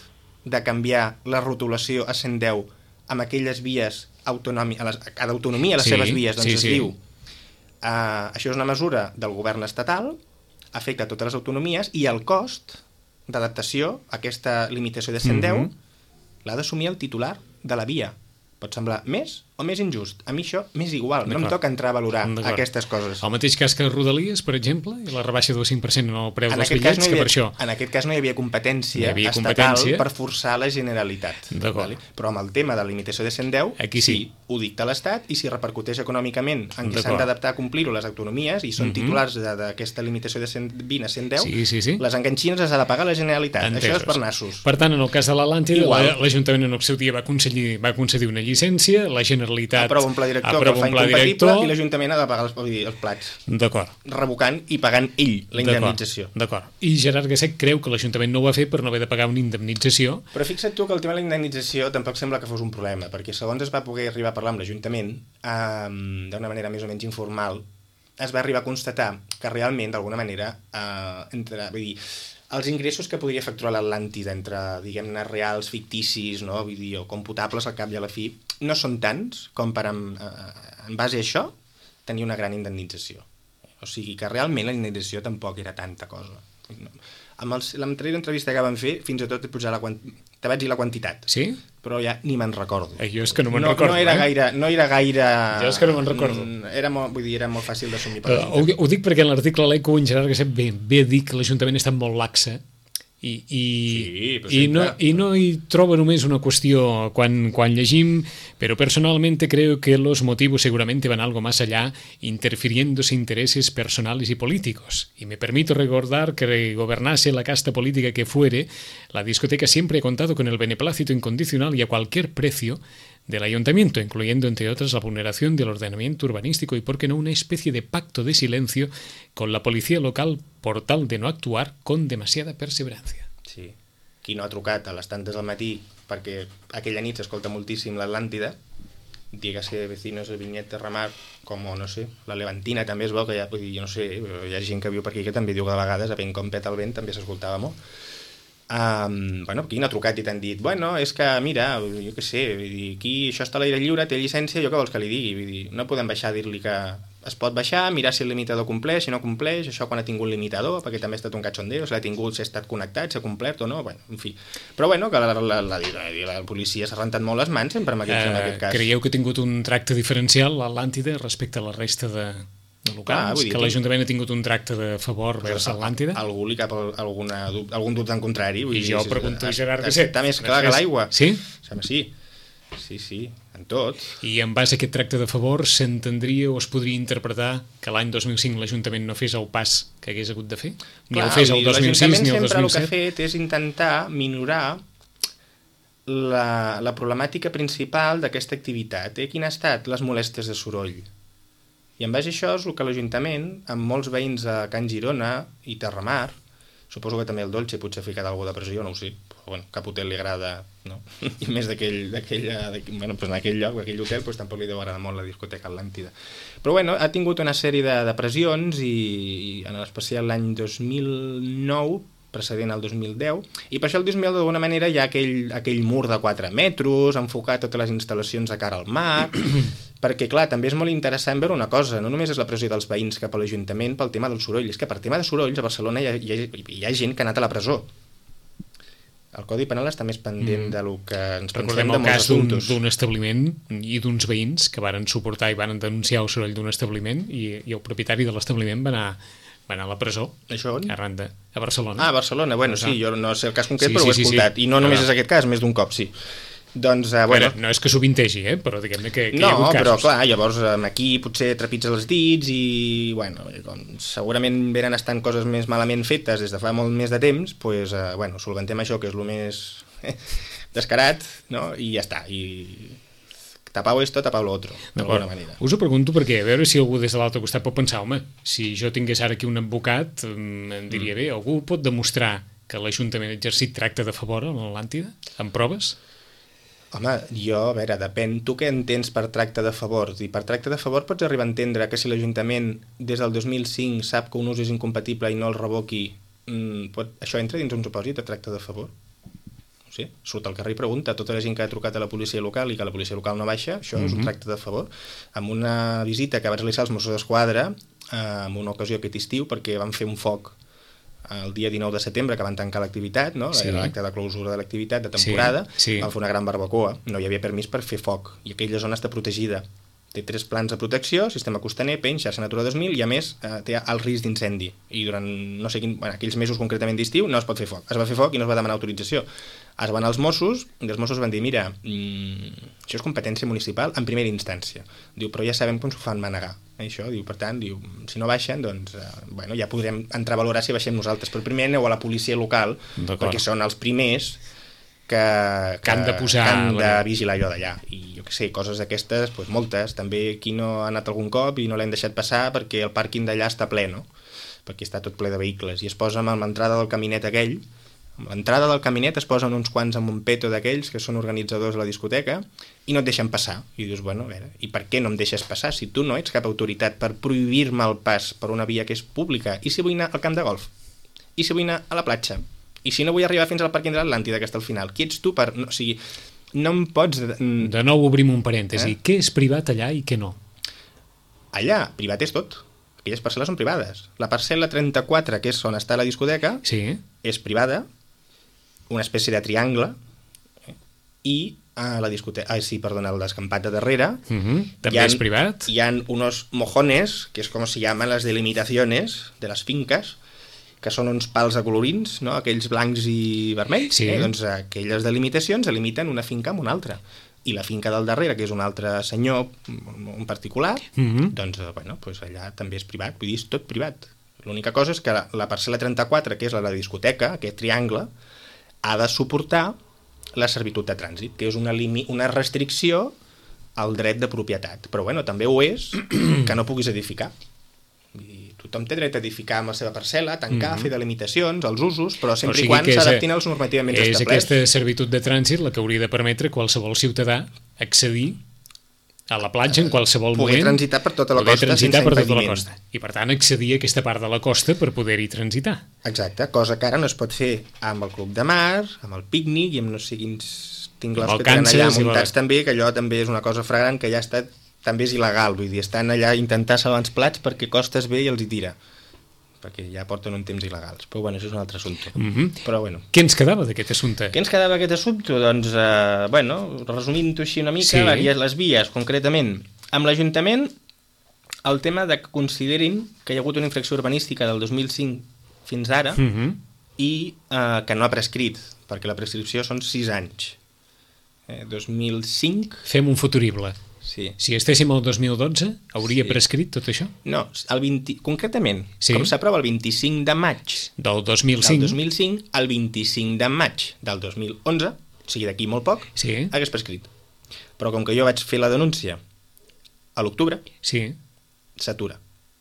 de canviar la rotulació a cent deu amb aquelles vies autonòmiques, a, les, a cada autonomia a les sí, seves vies? Doncs sí, es sí. diu, uh, això és una mesura del govern estatal, afecta a totes les autonomies, i el cost d'adaptació a aquesta limitació de cent deu mm-hmm. l'ha d'assumir el titular de la via. Pot semblar més o més injust. A mi això m'és igual, no em toca entrar a valorar aquestes coses. El mateix cas que Rodalies, per exemple, i la rebaixa del cinc per cent en el preu en dels bitllets, no havia, que per això... En aquest cas no hi havia competència, hi havia estatal competència per forçar la Generalitat. Vale? Però amb el tema de la limitació de cent deu, aquí sí. sí, ho dicta l'Estat, i si repercuteix econòmicament en què s'han d'adaptar a complir-ho les autonomies, i són mm-hmm. titulars d'aquesta limitació de cent vint a cent deu, sí, sí, sí. les enganxines les ha de pagar la Generalitat. Entesos. Això és per nassos. Per tant, en el cas de l'Atlàntida, l'Ajuntament en el seu dia va concedir, va concedir una llicència, la Generalitat aprova un pla director que el fa incompatible i l'Ajuntament ha de pagar els, els plats. D'acord. Revocant i pagant ell la indemnització. D'acord. I Gerard Gasset creu que l'Ajuntament no ho va fer per no haver de pagar una indemnització. Però fixa't tu que el tema de la indemnització tampoc sembla que fos un problema, perquè segons es va poder arribar a parlar amb l'Ajuntament, eh, d'una manera més o menys informal, es va arribar a constatar que realment, d'alguna manera, eh, entre, vull dir, els ingressos que podria facturar l'Atlàntida entre, diguem-ne, reals, ficticis, no? Vull dir, o computables al cap i a la fi, no són tants com per, en, en base a això, tenir una gran indemnització. O sigui que realment la indemnització tampoc era tanta cosa. Amb l'anterior entrevista que vam fer, fins i tot posar la quant... te vaig dir la quantitat. Sí? Però ja ni me'n recordo. Eh, jo és que no me'n no, recordo. No era, eh? gaire, no era gaire... Jo és que no me'n recordo. Era molt, vull dir, era molt fàcil d'assumir. Uh, ho, ho dic perquè en l'article l'Eco en Gerard Gasset ve, ve a dir que l'Ajuntament està molt laxa i, i, sí, i, no, i no hi troba només una qüestió quan, quan llegim, pero personalmente creo que los motivos seguramente van algo más allá, interfiriéndose intereses personales y políticos. Y me permito recordar que gobernase la casta política que fuere, la discoteca siempre ha contado con el beneplácito incondicional y a cualquier precio del ayuntamiento, incluyendo, entre otras, la vulneración del ordenamiento urbanístico y, por qué no, una especie de pacto de silencio con la policía local por tal de no actuar con demasiada perseverancia. Sí. Qui no ha trucat a les tantes del matí perquè aquella nit s'escolta moltíssim l'Atlàntida, dígase vecinos de Vinyet de Ramar, com, no sé, la Levantina també es veu que hi ha, vull dir, jo no sé, hi ha gent que viu per aquí que també diu que de vegades, a vent com peta el vent, també s'escoltava molt. Um, bueno, aquí no ha trucat i t'han dit bueno, és que mira, jo què sé vull dir, aquí això està a l'aire lliure, té llicència, jo què vols que li digui? Vull dir, no podem baixar a dir-li que es pot baixar, mirar si el limitador compleix, si no compleix, això quan ha tingut limitador, perquè també ha estat un cachondeo, si l'ha tingut, si ha estat connectat, si ha complert o no, bueno, en fi. Però bueno, que la, la, la, la, la policia s'ha rentat molt les mans sempre en aquest, uh, en aquest cas. Creieu que ha tingut un tracte diferencial l'Atlàntida respecte a la resta de... de locals, ah, que l'Ajuntament ha tingut un tracte de favor vers l'Atlàntida? Algú li cap alguna, algun dubte en contrari. I jo dir, pregunto a Gerard Gasset. Està més clar que l'aigua. Sí? Sí, sí, sí, en tot. I en base a aquest tracte de favor s'entendria o es podria interpretar que l'any dos mil cinc l'Ajuntament no fes el pas que hagués hagut de fer? Ni clar, el fes el dos mil sis ni el dos mil set? L'Ajuntament sempre el que ha fet és intentar minorar la, la problemàtica principal d'aquesta activitat. Eh? Quina ha estat? Les molèsties de soroll. I en base a això és el que l'Ajuntament, amb molts veïns a Can Girona i Terramar, suposo que també el Dolce potser ha ficat alguna de pressió, no ho sé, però bueno, cap hotel li agrada, no? I més d'aquell, d'aquell, bueno, doncs en aquell lloc, aquell hotel, doncs tampoc li deu agradar molt la discoteca Atlàntida. Però bueno, ha tingut una sèrie de, de pressions i, i en especial l'any dos mil nou, precedent al dos mil deu, i per això el dos mil deu d'alguna manera hi ha aquell, aquell mur de quatre metres, enfocar totes les instal·lacions a cara al mar, perquè clar, també és molt interessant veure una cosa, no només és la pressió dels veïns cap a l'Ajuntament pel tema del soroll, és que per tema de sorolls a Barcelona hi ha, hi ha, hi ha gent que ha anat a la presó. El Codi Penal està més pendent mm. de lo que ens pensem de molts assumptes. Recordem el cas d'un establiment i d'uns veïns que varen suportar i van denunciar el soroll d'un establiment i, i el propietari de l'establiment va anar va anar a la presó. Això on? Arran de, a Barcelona. Ah, a Barcelona, bueno, sí, jo no sé el cas concret, sí, però sí, ho he escoltat. sí, sí. I no només però... és aquest cas, més d'un cop, sí. Doncs, uh, bueno... bueno... No és que sovintegi, eh? Però diguem-ne que, que no, hi ha hagut casos. No, però clar, llavors aquí potser trepitja els dits i, bueno, com segurament venen estant coses més malament fetes des de fa molt més de temps, doncs, pues, uh, bueno, solventem això, que és el més descarat, no? I ja està, i... tapau esto, tapau lo otro, d'alguna manera. Us ho pregunto perquè a veure si algú des de l'altre costat pot pensar, home, si jo tingués ara aquí un advocat, em diria, bé, algú pot demostrar que l'Ajuntament ha exercit tracte de favor a l'Atlàntida, amb proves? Home, jo, a veure, depèn, tu què entens per tracte de favor? I per tracte de favor pots arribar a entendre que si l'Ajuntament des del dos mil cinc sap que un ús és incompatible i no el revoqui, mmm, pot... això entra dins un supòsit de tracte de favor? Sí, surt al carrer i pregunta a tota la gent que ha trucat a la policia local i que la policia local no baixa, això mm-hmm. és un tracte de favor. Amb una visita que va realitzar els Mossos d'Esquadra, eh, en una ocasió aquest estiu, perquè van fer un foc el dia dinou de setembre, que van tancar l'activitat, no? Sí. L'acte de clausura de l'activitat de temporada, sí, sí. van fer una gran barbacoa, no hi havia permís per fer foc, i aquella zona està protegida. Té tres plans de protecció, sistema costaner, penya, xarxa Natura dos mil, i a més eh, té el risc d'incendi. I durant, no sé quin, bueno, aquells mesos concretament d'estiu no es pot fer foc. Es va fer foc i no es va demanar autorització. Es van als Mossos, i els Mossos van dir, mira, mmm, això és competència municipal en primera instància. Diu, però ja sabem com s'ho fan manegar. Eh, això, diu, per tant, diu, si no baixen, doncs, eh, bueno, ja podrem entrar a valorar si baixem nosaltres. Però primer aneu a la policia local, perquè són els primers que, que, que han de posar... que han de vigilar allò d'allà. I jo què sé, coses d'aquestes, doncs moltes. També aquí no ha anat algun cop i no l'hem deixat passar perquè el pàrquing d'allà està ple, no? Perquè està tot ple de vehicles. I es posa amb l'entrada del caminet aquell, amb l'entrada del caminet es posen uns quants amb un peto d'aquells que són organitzadors de la discoteca i no et deixen passar. I dius, bueno, a veure, i per què no em deixes passar? Si tu no ets cap autoritat per prohibir-me el pas per una via que és pública, i si vull anar al camp de golf? I si vull anar a la platja? I si no vull arribar fins al pàrquing de l'Atlàntida, que està al final? Qui ets tu per... No, o sigui, no em pots... De nou obrim un parèntesi. Eh? Què és privat allà i què no? Allà, privat és tot. Aquelles parcel·les són privades. La parcel·la trenta-quatre, que és on està la discoteca, sí. és privada, una espècie de triangle, eh? I a la discoteca... Ah, sí, perdona, el descampat de darrere... Uh -huh. També ha, és privat? Hi ha unos mojones, que és com se llaman las delimitaciones de les finques, que són uns pals acolorins, no? Aquells blancs i vermells. Sí. Eh? Doncs aquelles delimitacions delimiten una finca amb una altra. I la finca del darrere, que és un altre senyor, un particular, uh -huh. doncs, bueno, doncs allà també és privat, vull dir, és tot privat. L'única cosa és que la, la parcel·la trenta-quatre, que és la de la discoteca, aquest triangle, ha de suportar la servitud de trànsit, que és una, limi, una restricció al dret de propietat. Però, bueno, també ho és que no puguis edificar. Vull dir, tothom té dret a edificar amb la seva parcel·la, tancar, mm-hmm. fer delimitacions, els usos, però sempre o sigui i quan s'adaptin als normativament és establerts. És aquesta servitud de trànsit la que hauria de permetre qualsevol ciutadà accedir a la platja en qualsevol poder moment. Transitar per tota la poder costa transitar sense per tota impediment. la costa. I per tant accedir a aquesta part de la costa per poder-hi transitar. Exacte, cosa que ara no es pot fer amb el club de mar, amb el pícnic i amb no sé quins tingles que tenen allà muntats la... també, que allò també és una cosa fragrant que ja està, també és il·legal, vull dir, estan allà a intentar salvar els plats perquè costes bé i els hi tira, perquè ja porten un temps il·legals. Però bueno, això és un altre assumpte. Mm-hmm. Però bueno. Què ens quedava d'aquest assumpte? Què ens quedava d'aquest assumpte? Doncs, eh, bueno, resumint-ho així una mica, sí. les, les vies, concretament, amb l'Ajuntament, el tema de que considerin que hi ha hagut una infracció urbanística del dos mil cinc fins ara mm-hmm. i eh, que no ha prescrit, perquè la prescripció són sis anys. Eh, dos mil cinc... Fem un futurible. Sí. Si estéssim al dos mil dotze, hauria sí. prescrit tot això? No, el vint, concretament, sí. com s'aprova el vint-i-cinc de maig del dos mil cinc, del dos mil cinc al vint-i-cinc de maig del dos mil onze, o sigui d'aquí molt poc, sí. hagués prescrit. Però com que jo vaig fer la denúncia a l'octubre, sí. s'atura.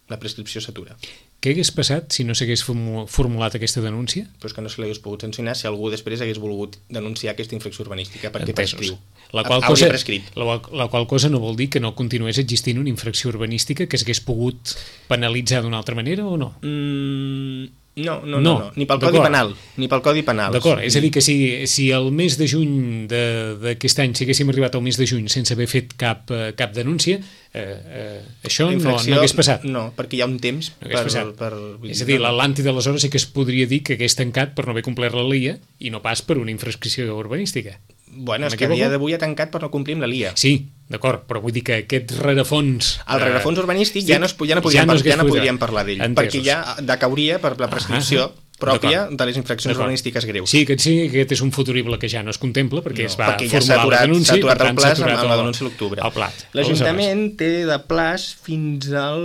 La prescripció s'atura. Què hagués passat si no s'hagués formulat aquesta denúncia? Pues que no se l'hagués pogut sancionar si algú després hagués volgut denunciar aquesta infracció urbanística perquè Entesos. prescriu. La qual, cosa, la, la qual cosa no vol dir que no continués existint una infracció urbanística que s'hagués pogut penalitzar d'una altra manera o no? Mm, no, no, no, no, no, ni pel Codi Penal. Ni pel Codi Penal. D'acord, és a dir que si, si el mes de juny d'aquest any, si haguéssim arribat al mes de juny sense haver fet cap, cap denúncia, eh, eh, això no, no hagués passat. No, perquè hi ha un temps no per, per... És a dir, l'Atlàntida aleshores sí que es podria dir que hagués tancat per no haver complert la L I A i no pas per una infracció urbanística. Bueno, és que a dia d'avui ha tancat per no complir amb la L I A. Sí, d'acord, però vull dir que aquest rerefons... El rerefons urbanístic ja no, es, ja no podríem, ja no, ja no podríem parlar d'ell, perquè ja decauria per la prescripció ah, pròpia de les infraccions urbanístiques greus. Sí, que sí, aquest és un futurible que ja no es contempla perquè no, es va perquè formular ja aturat, la denúncia i per tant s'ha aturat amb la denúncia a l'octubre. L'Ajuntament té de plaç fins al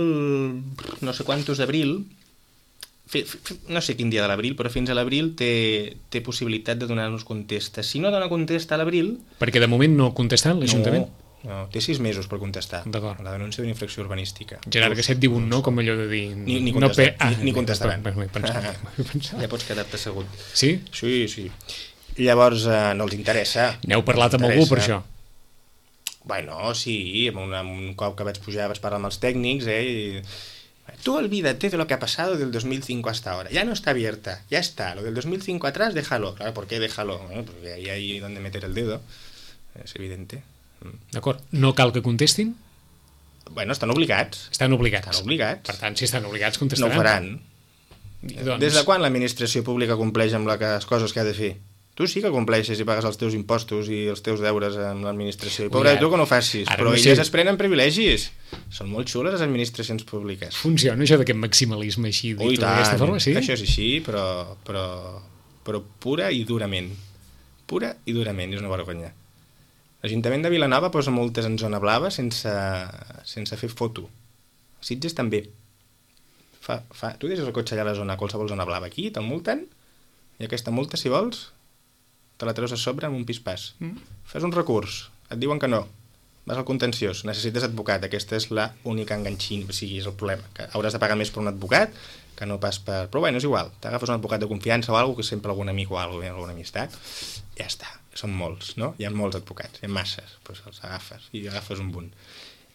no sé quantos d'abril, no sé quin dia de l'abril, però fins a l'abril té, té possibilitat de donar-nos contesta. Si no dona contesta a l'abril... Perquè de moment no ha contestat l'Ajuntament? No, no, té sis mesos per contestar. D'acord. La denúncia d'una infracció urbanística. Gerard Gasset diu un no, com allò de dir... Ni, ni, contestar, no, ah, ni, ni contestaran. M'ho he pensat, m'ho he pensat. Ja pots quedar-te assegut. Sí? Sí, sí. Llavors, eh, no els interessa. N'heu parlat amb algú per això? Bueno, sí, amb un, amb un cop que vaig pujar vaig parlar amb els tècnics, eh, i... Tú olvídate de lo que ha pasado del dos mil cinco hasta ahora. Ya no está abierta, ya está. Lo del dos mil cinco atrás, déjalo. Claro, ¿por qué déjalo? Bueno, porque ahí hay donde meter el dedo. Es evidente. D'acord. No cal que contestin? Bueno, estan obligats. Estan obligats. Estan obligats. Per tant, si estan obligats, contestaran. No ho faran. Doncs... Des de quan l'administració pública compleix amb les coses que ha de fer? Tu sí que compleixes i pagues els teus impostos i els teus deures amb l'administració. I pobre, tu que no ho facis. Però no sé... elles es prenen privilegis. Són molt xules les administracions públiques. Funciona això d'aquest maximalisme així, dit Ui, tant, d'aquesta forma, sí? Això és així, però, però, però pura i durament. Pura i durament, és una vergonya. L'Ajuntament de Vilanova posa multes en zona blava sense, sense fer foto. Sitges també. Fa, fa... Tu deixes el cotxe allà a la zona, a qualsevol zona blava aquí, te'l multen, i aquesta multa, si vols, te la treus a sobre amb un pispàs. Mm. Fes un recurs, et diuen que no, vas al contenciós, necessites advocat, aquesta és la única enganxina, o sigui, és el problema, que hauràs de pagar més per un advocat que no pas per... Però bueno, és igual, t'agafes un advocat de confiança o alguna cosa, que sempre algun amic o alguna, alguna amistat, ja està, són molts, no? Hi ha molts advocats, hi ha masses, doncs els agafes i agafes un bunt.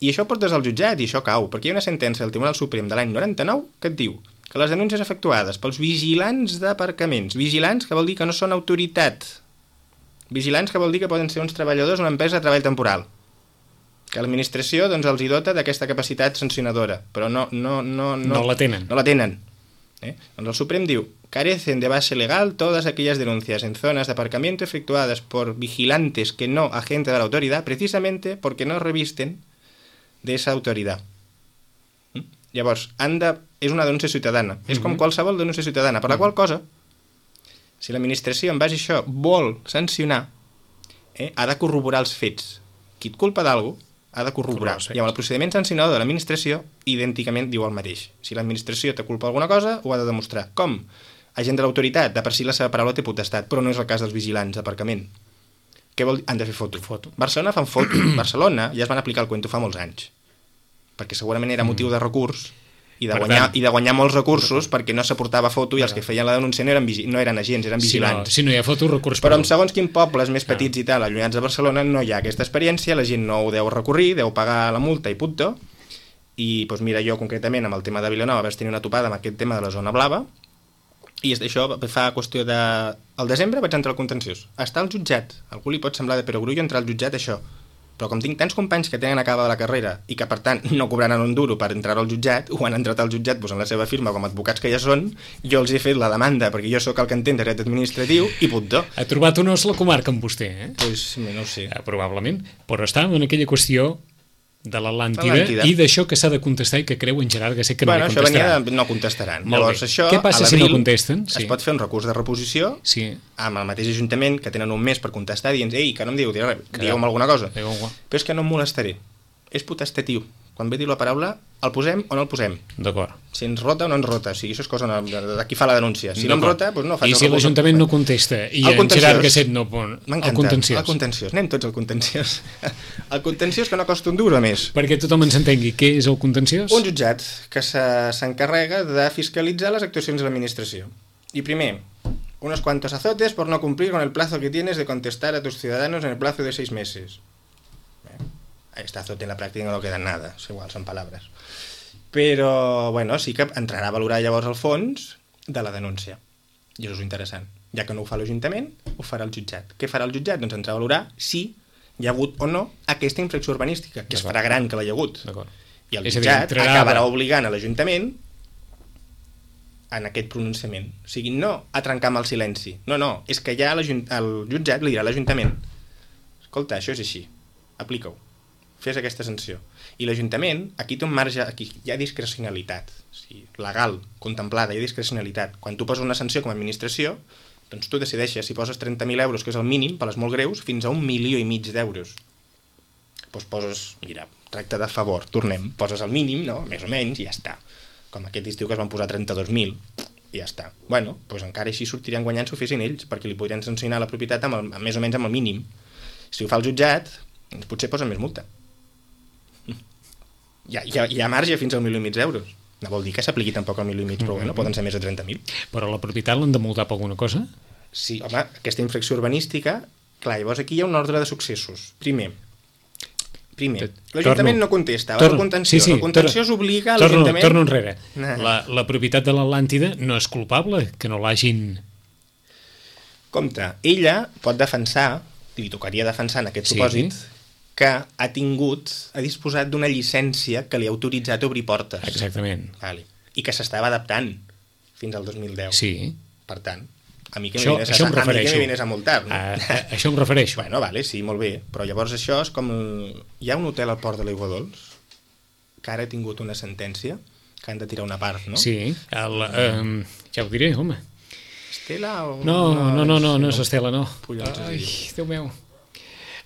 I això portes al jutjat i això cau, perquè hi ha una sentència del Tribunal Suprem de l'any noranta-nou que et diu que les denúncies efectuades pels vigilants d'aparcaments, vigilants que vol dir que no són autoritat, vigilants que vol dir que poden ser uns treballadors d'una empresa de treball temporal, que l'administració doncs, els hi dota d'aquesta capacitat sancionadora, però no, no, no, no, no la tenen. No la tenen. ¿Eh? Doncs el Suprem diu, carecen de base legal todas aquellas denuncias en zonas de aparcamiento efectuadas por vigilantes que no agentes de la autoridad, precisamente porque no revisten de esa autoridad. ¿Mm? Llavors, han de... és una denúncia ciutadana. Mm-hmm. És com qualsevol denúncia ciutadana, per la mm-hmm. qual cosa, si l'administració en base a això vol sancionar, eh, ha de corroborar els fets. Qui et culpa d'algú ha de corroborar. I amb el procediment sancionador de l'administració, idènticament diu el mateix. Si l'administració té culpa d'alguna cosa, ho ha de demostrar. Com? Agent de l'autoritat, de per si la seva paraula té potestat, però no és el cas dels vigilants d'aparcament. Què vol dir? Han de fer foto. foto. Barcelona fan foto. Barcelona ja es van aplicar el cuento fa molts anys. Perquè segurament era motiu de recurs i de, guanyar, tant, i de guanyar molts recursos perquè no s'aportava foto i els que feien la denúncia no eren, no eren agents, eren vigilants. Si no, si no hi ha foto, recurs... Però en segons quin pobles més petits i tal, allunyats de Barcelona, no hi ha aquesta experiència, la gent no ho deu recorrir, deu pagar la multa i punto. I doncs mira, jo concretament amb el tema de Vilanova vaig tenir una topada amb aquest tema de la zona blava i això fa qüestió de... Al desembre vaig entrar al contenciós. Està al jutjat. A algú li pot semblar de perogrullo entrar al jutjat això. Però com tinc tants companys que tenen acabada la carrera i que per tant no cobraran un duro per entrar al jutjat, o han entrat al jutjat posant la seva firma com a advocats que ja són, jo els he fet la demanda perquè jo sóc el que entén de dret administratiu i punto. Ha trobat un os la comarca amb vostè, eh? Pues no ho sé. Eh, probablement, però està en aquella qüestió de l'Atlàntida i d'això que s'ha de contestar i que creu en Gerard Gasset que bueno, no li contestaran. Això venia de no contestaran. Llavors, això, què passa si no contesten? Sí. Es pot fer un recurs de reposició sí. amb el mateix ajuntament que tenen un mes per contestar dient, ei, que no em diu, digueu-me alguna cosa. Però és que no em molestaré. És potestatiu. Quan ve dir la paraula, el posem o no el posem. D'acord. Si ens rota o no ens rota. O sigui, això és cosa de, de qui fa la denúncia. Si no em rota, doncs no faig I si l'Ajuntament no contesta i en Gerard Gasset no pon el contenciós. El contenciós. Anem tots al contenciós. El contenciós que no costa un duro a més. Perquè tothom ens entengui. Què és el contenciós? Un jutjat que s'encarrega de fiscalitzar les actuacions de l'administració. I primer, unos cuantos azotes por no cumplir con el plazo que tienes de contestar a tus ciudadanos en el plazo de seis meses. Este azote en la pràctica no queda nada, és igual, són paraules. Però, bueno, sí que entrarà a valorar llavors el fons de la denúncia. I això és interessant. Ja que no ho fa l'Ajuntament, ho farà el jutjat. Què farà el jutjat? Doncs entrarà a valorar si hi ha hagut o no aquesta infracció urbanística, que es farà gran que l'hi ha hagut. I el jutjat acabarà obligant a l'Ajuntament en aquest pronunciament. O sigui, no a trencar amb el silenci. No, no, és que ja el jutjat li dirà a l'Ajuntament, escolta, això és així, aplica-ho. Fes aquesta sanció. I l'Ajuntament, aquí té un marge, aquí hi ha discrecionalitat, o sigui, legal, contemplada, hi ha discrecionalitat. Quan tu poses una sanció com a administració, doncs tu decideixes si poses trenta mil euros, que és el mínim, per les molt greus, fins a un milió i mig d'euros. Doncs poses, mira, tracte de favor, tornem, poses el mínim, no?, més o menys, i ja està. Com aquest estiu que es van posar trenta-dos mil, i ja està. Bueno, doncs encara així sortiran guanyant si ho fessin ells, perquè li podrien sancionar la propietat amb el, més o menys amb el mínim. Si ho fa el jutjat, doncs potser posen més multa. Hi ha, hi, ha, hi ha marge fins al milió i mig d'euros. No vol dir que s'apliqui tampoc al milió i mig, però bueno, poden ser més de trenta mil. Però la propietat l'han de multar per alguna cosa? Sí, home, aquesta infracció urbanística, clar, llavors aquí hi ha un ordre de successos. Primer, primer l'Ajuntament no contesta, va al contenció. Sí, sí, el contenció obliga a l'Ajuntament... Torno enrere. Nah. La, la propietat de l'Atlàntida no és culpable, que no l'hagin... Compte, ella pot defensar, li tocaria defensar en aquest sí. supòsit, que ha tingut, ha disposat d'una llicència que li ha autoritzat a obrir portes. Exactament. Vale. I que s'estava adaptant. fins al dos mil deu. Sí. Per tant, a mi que això, me això a, em refereixo. a mi que me vienes a multar. No? A, a, això em refereixo. Bueno, vale, sí, molt bé. Però llavors això és com... El... Hi ha un hotel al Port de l'Aigua Dols que ara ha tingut una sentència que han de tirar una part, no? Sí, el, um, ja ho diré, home. Estela o... No, no, no, no, no és Estela, no. Collons, Ai, Déu meu.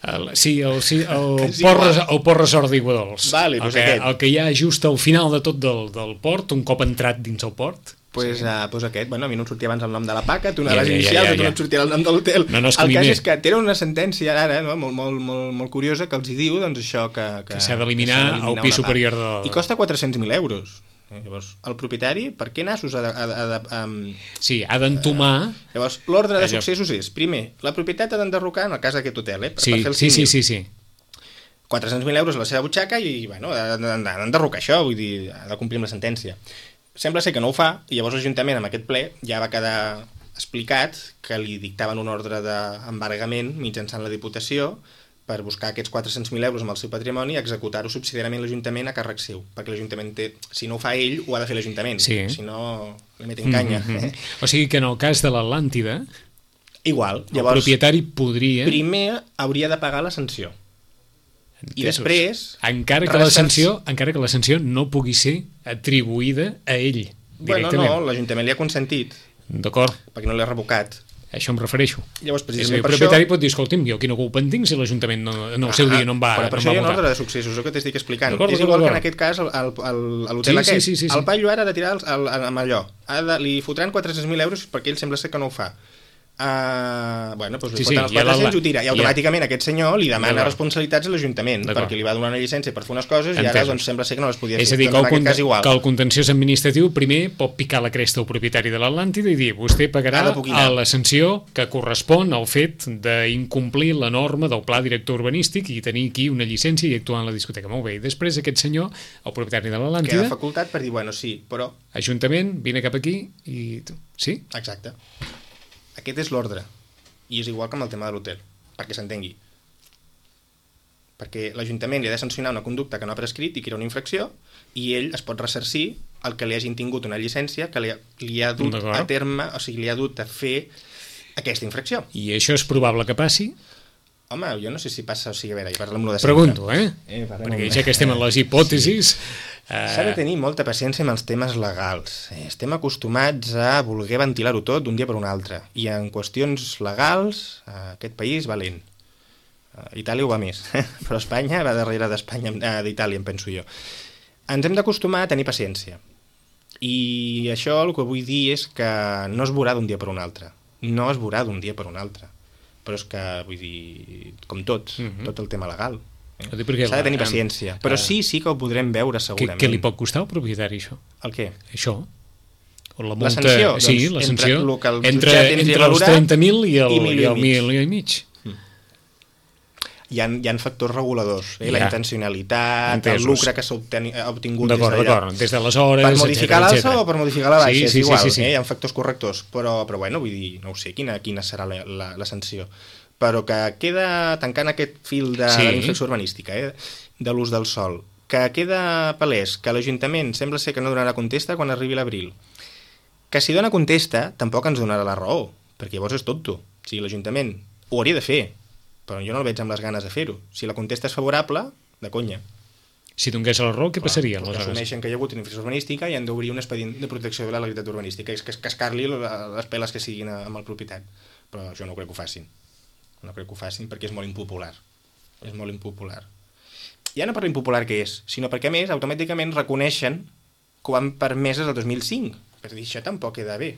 El, sí, el, sí, el, És port, igual. res- el port resort d'Iguadols. Vale, el, doncs que, aquest. el que hi ha just al final de tot del, del port, un cop entrat dins el port. Pues, sí. uh, pues aquest, bueno, a mi no em sortia abans el nom de la paca, tu Ja, anaves ja, ja, inicials, ja, a tu no ja. et sortia el nom de l'hotel. No, no, és que el a mi cas m'he- és que tenen una sentència ara, no? molt, molt, molt, molt curiosa, que els hi diu doncs, això que... Que s'ha d'eliminar que s'ha d'eliminar el pis una part. superior de- I costa quatre-cents mil euros. Eh, Llavors, el propietari, per què nassos ha de... Ha de, ha de um, Sí, ha d'entomar... llavors, l'ordre de Allò. successos és, primer, la propietat ha d'enderrocar, en el cas d'aquest hotel, eh, per, Sí, per fer el sí, sí, símil. sí, sí. quatre-cents mil euros a la seva butxaca i, bueno, han d'enderrocar això, vull dir, ha de complir amb la sentència. Sembla ser que no ho fa, i llavors l'Ajuntament, amb aquest ple, ja va quedar explicat que li dictaven un ordre d'embargament mitjançant la Diputació per buscar aquests quatre-cents mil euros amb el seu patrimoni i executar-ho subsidiàriament l'Ajuntament a càrrec seu, perquè l'Ajuntament té, si no ho fa ell, ho ha de fer l'Ajuntament, Sí. si no li meten canya. Mm -hmm. eh? O sigui que en el cas de l'Atlàntida, Igual, el llavors, propietari podria... primer hauria de pagar la sanció. I després... Encara que, la resarc- sanció, encara que la sanció no pugui ser atribuïda a ell, Bueno, directament. no, l'Ajuntament li ha consentit, D'acord, perquè no l'ha revocat. a això em refereixo. Llavors, És a dir, precisament el per propietari això... pot dir, escolti'm, jo quina culpa en tinc si l'Ajuntament no, en el seu dia no em va, però per no això em hi va ha un votar. ordre de successos, és el que t'estic explicant. D'acord, És d'acord, igual que en d'acord. aquest cas el- el- el- a l'hotel Sí, aquest. sí, sí, sí, sí. El paio ara ha de tirar el, el, amb allò. Ha de, li fotran quatre-cents mil euros perquè ell sembla ser que no ho fa. Uh, bueno, doncs li Sí, sí, foten sí, els ja la- quatre-cents i ho tira. I ja- automàticament aquest senyor li demana D'acord. responsabilitats a l'Ajuntament D'acord. perquè li va donar una llicència per fer unes coses i ara Entesos. doncs, sembla ser que no les podia És fer. a dir, que Doncs el, en aquest conte- cas igual. que el contenciós administratiu primer pot picar la cresta al propietari de l'Atlàntida i dir, vostè pagarà Ha de poquinar. a la sanció que correspon al fet d'incomplir la norma del pla director urbanístic i tenir aquí una llicència i actuar en la discoteca. Molt bé, i després aquest senyor, el propietari de Queda l'Atlàntida, facultat per dir, bueno, sí, però... Ajuntament, vine cap aquí i... tu- Sí? Exacte. Aquest és l'ordre. I és igual que amb el tema de l'hotel, perquè s'entengui. Perquè l'Ajuntament li ha de sancionar una conducta que no ha prescrit i que era una infracció, i ell es pot ressarcir el que li hagin tingut una llicència que li ha, li ha dut D'acord. a terme, o sigui, li ha dut a fer aquesta infracció. I això és probable que passi? Home, jo no sé si passa, o sigui, a veure, i parlem-lo de sempre. Pregunto, eh? Eh, parlem Perquè amb- ja que estem en les hipòtesis... S'ha de Eh, tenir molta paciència amb els temes legals. Eh, Estem acostumats a voler ventilar-ho tot d'un dia per un altre. I en qüestions legals, eh, aquest país va lent. Eh, Itàlia ho va més, però Espanya va darrere d'Espanya, eh, d'Itàlia, em penso jo. Ens hem d'acostumar a tenir paciència. I això el que vull dir és que no es veurà d'un dia per un altre. No es veurà d'un dia per un altre. Però és que, vull dir, com tot, Mhm. tot el tema legal. Ho dic perquè S'ha de tenir la- paciència. eh, Però sí, sí que ho podrem veure què, segurament. què li pot costar al propietari, això? El què? Això? O la, La multa, sanció? Sí, Doncs la entre sanció. lo que el entre jutjat ens hi entre ha els valorat trenta mil i el, i milió i el i mig. milió i mig. Hi ha, hi ha factors reguladors, eh? Hi la ha. intencionalitat, Entesos. el lucre que s'ha obteni- ha obtingut D'acord, des d'allà. d'acord. Des d'aleshores... Per modificar etcètera, l'alça etcètera. o per modificar la baixa, Sí, és sí, igual, sí, sí, sí. Eh? Hi ha factors correctors, però, però bueno, vull dir, no ho sé, quina, quina serà la, la, la sanció. Però que queda, tancant aquest fil de, Sí. de la infracció urbanística, eh? de l'ús del sol, que queda palès que l'Ajuntament sembla ser que no donarà contesta quan arribi l'abril. Que si dona contesta, tampoc ens donarà la raó, perquè llavors és tonto. O sigui, l'Ajuntament ho hauria de fer, però jo no el veig amb les ganes de fer-ho. Si la contesta és favorable, de conya. Si donés la raó, què passaria? Perquè Aleshores? assumeixen que hi ha hagut una infracció urbanística i han d'obrir un expedient de protecció de la legalitat urbanística, és que es cascar-li les peles que siguin amb el propietat. Però jo no crec que ho facin. No crec que ho facin perquè és molt impopular. És molt impopular. Ja no per l'impopular que és, sinó perquè, a més, automàticament reconeixen que ho han permès el dos mil cinc. Per dir, això tampoc queda bé.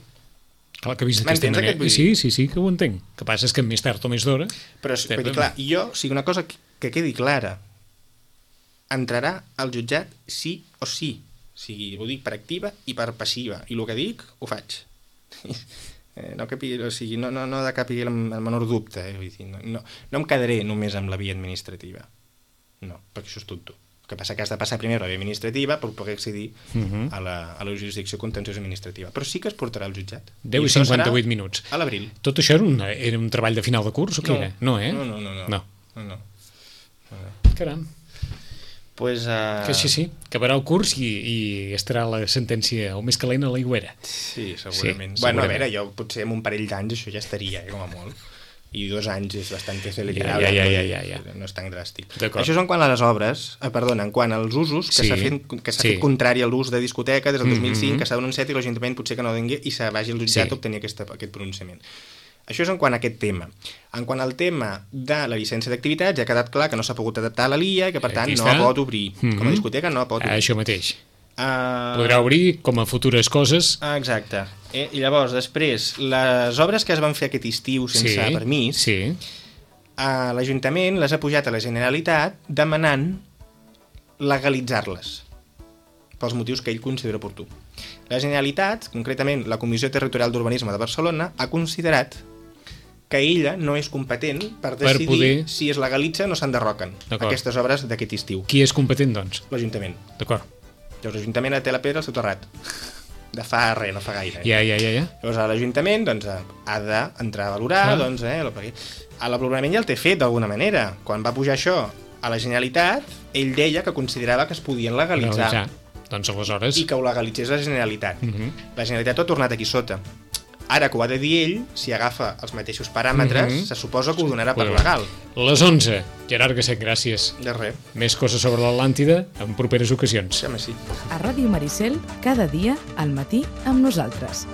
Clar, que vist d'aquesta M'entens manera... aquest vull dir? Sí, sí, sí, que ho entenc. El que passa és que més tard o més d'hora... Però, Estem- vull dir, clar, jo, o sigui, una cosa que, que quedi clara, entrarà al jutjat sí o sí. O sigui, ho dic per activa i per passiva. I el que dic, ho faig. Eh, no, capi, o sigui, no, no, no de cap el, el menor dubte. Eh? Vull dir, no, no, no em quedaré només amb la via administrativa. No, perquè això és tonto. El que passa que has de passar primer la via administrativa per poder accedir Uh -huh. a, la, a la jurisdicció contenciosa administrativa. Però sí que es portarà al jutjat. deu i això serà cinquanta-vuit minuts. a l'abril. Tot això era un, era un treball de final de curs o què No. era? No, eh? No, no, no. no. No. no, no. Caram. Pues, uh... Que sí, sí, acabarà el curs i, i estarà la sentència o més calent a l'aigüera. Sí, segurament. Sí, bueno, segurament. a veure, jo potser en un parell d'anys això ja estaria, eh, com a molt. I dos anys és bastant celebrable. Ja, ja, ja, ja, ja. No és tan dràstic. D'acord. Això és en quant a les obres, eh, perdona, en quant als usos, que Sí, s'ha fet, que s'ha sí. fet contrari a l'ús de discoteca des del dos mil cinc, Mhm. que s'ha denunciat i l'Ajuntament potser que no dengui i se vagi al jutjat Sí. a obtenir aquesta, aquest pronunciament. Això és en quant a aquest tema. En quant al tema de la llicència d'activitats, ja ha quedat clar que no s'ha pogut adaptar a la L I A i que, per tant, Aquí no està. pot obrir. Mhm. Com a discoteca no pot obrir. Això mateix. Uh... Podrà obrir com a futures coses. Ah, exacte. Eh? I llavors, després, les obres que es van fer aquest estiu sense Sí, permís, sí. a l'Ajuntament les ha pujat a la Generalitat demanant legalitzar-les pels motius que ell considera oportú. La Generalitat, concretament la Comissió Territorial d'Urbanisme de Barcelona, ha considerat que ella no és competent per decidir Per poder- si es legalitza o no s'enderroquen D'acord. aquestes obres d'aquest estiu. Qui és competent, doncs? L'Ajuntament. D'acord. Llavors l'Ajuntament té la pedra al seu terrat. De fa res, no fa gaire. Ja, ja, ja, ja. Llavors l'Ajuntament doncs, ha d'entrar a valorar, Clar. doncs, eh, el, perquè el valorament ja el té fet d'alguna manera. Quan va pujar això a la Generalitat, ell deia que considerava que es podien legalitzar Legalitzar. Doncs aleshores... i que ho legalitzés la Generalitat. Mhm. La Generalitat ho ha tornat aquí sota. Ara que ho ha de dir ell, si agafa els mateixos paràmetres, Mhm. se suposa que ho donarà per Clar. legal. Les onze. Gerard Gasset, gràcies. De res. Més coses sobre l'Atlàntida en properes ocasions. Sí, home, sí. A Ràdio Maricel, cada dia al matí amb nosaltres.